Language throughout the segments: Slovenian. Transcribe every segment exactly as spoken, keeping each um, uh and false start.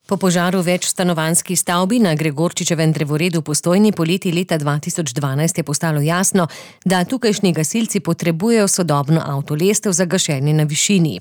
Po požaru več stanovanjski stavbi na Gregorčičevem drevoredu v Postojni poleti leta dva tisoč dvanajst je postalo jasno, da tukajšnji gasilci potrebujejo sodobno avtolestev za gašenje na višini.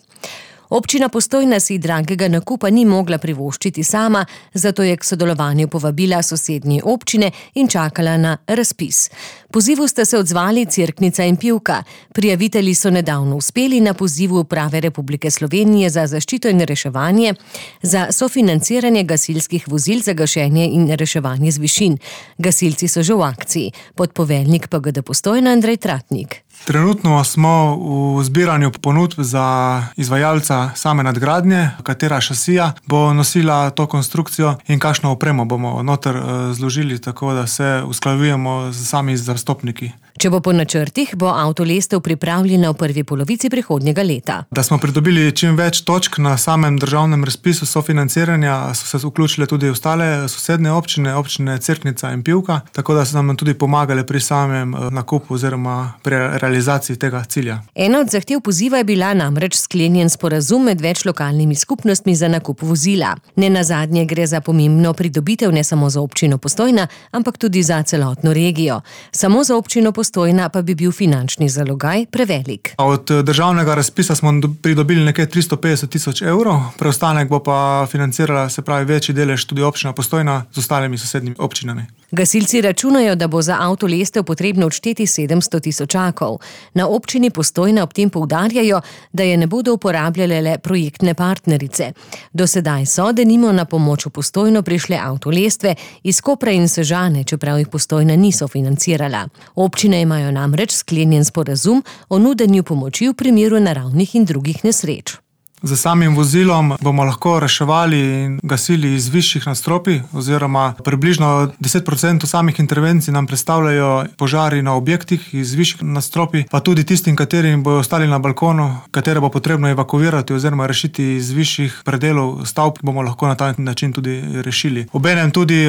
Občina Postojna si dragega nakupa ni mogla privoščiti sama, zato je k sodelovanju povabila sosednje občine in čakala na razpis. Pozivu sta se odzvali Cerknica in Pivka. Prijavitelji so nedavno uspeli na pozivu Uprave Republike Slovenije za zaščito in reševanje za sofinanciranje gasilskih vozil za gašenje in reševanje z višin. Gasilci so že v akciji. Podpoveljnik P G D Postojna Andrej Tratnik. Trenutno smo v zbiranju ponudb za izvajalca same nadgradnje, katera šasija bo nosila to konstrukcijo in kakšno opremo bomo noter zložili, tako da se usklajujemo z sami zastopniki. Če bo po načrtih, bo avtolestev pripravljena v prvi polovici prihodnjega leta. Da smo pridobili čim več točk na samem državnem razpisu sofinanciranja, so se vključile tudi ostale sosednje občine, občine Cerknica in Pivka, tako da so nam tudi pomagali pri samem nakupu oziroma pri realizaciji tega cilja. Ena od zahtev poziva je bila namreč sklenjen sporazum med več lokalnimi skupnostmi za nakup vozila. Nenazadnje gre za pomembno pridobitev ne samo za občino Postojna, ampak tudi za celotno regijo. Samo za občino Postojna pa bi bil finančni zalogaj prevelik. Od državnega razpisa smo pridobili nekaj tristo petdeset tisoč evrov, preostanek bo pa financirala, se pravi, večji delež tudi občina Postojna z ostalimi sosednjimi občinami. Gasilci računajo, da bo za avtolestev potrebno odšteti sedemsto tisočakov. Na občini Postojna ob tem poudarjajo, da je ne bodo uporabljale le projektne partnerice. Do sedaj so, denimo, na pomoč v Postojno prišle avtolestve iz Kopra in Sežane, čeprav jih Postojna niso financirala. Občine imajo namreč sklenjen sporazum o nudenju pomoči v primeru naravnih in drugih nesreč. Z samim vozilom bomo lahko reševali in gasili iz višjih nadstropij, oziroma približno deset procentov samih intervencij nam predstavljajo požari na objektih iz višjih nadstropij, pa tudi tistim, katerim bojo ostali na balkonu, katere bo potrebno evakuirati oziroma rešiti iz višjih predelov stavb, bomo lahko na ta način tudi rešili. Obenem tudi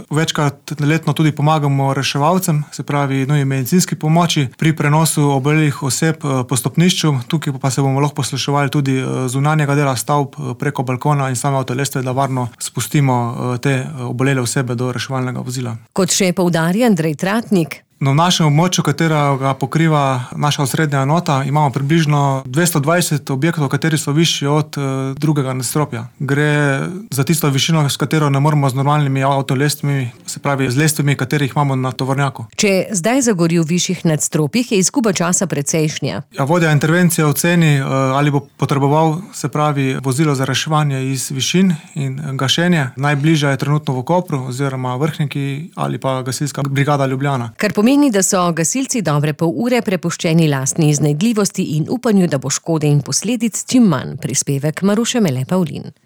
večkrat letno tudi pomagamo reševalcem, se pravi nujni medicinski pomoči pri prenosu obolelih oseb po stopnišču, tukaj pa se bomo lahko posluševali tudi z zunanjega dela stavb preko balkona in same avtolestve, da varno spustimo te obolele osebe do reševalnega vozila. Kot še poudarja Andrej Tratnik, Na našem območju, katerega pokriva naša osrednja enota, imamo približno dvesto dvajset objektov, kateri so višji od drugega nadstropja. Gre za tisto višino, s katero ne moremo z normalnimi avtolestvami, se pravi z lestvami, katerih imamo na tovornjaku. Če zdaj zagori v višjih nadstropjih, je izguba časa precejšnja. Ja, vodja intervencije oceni, ali bo potreboval, se pravi, vozilo za reševanje iz višin in gašenje. Najbližja je trenutno v Kopru oziroma Vrhniki ali pa gasilska brigada Ljubljana. Kar pomeni, da so gasilci dobre pol ure prepuščeni lastni iznajdljivosti in upanju, da bo škode in posledic čim manj. Prispevek Maruše Mele Pavlin.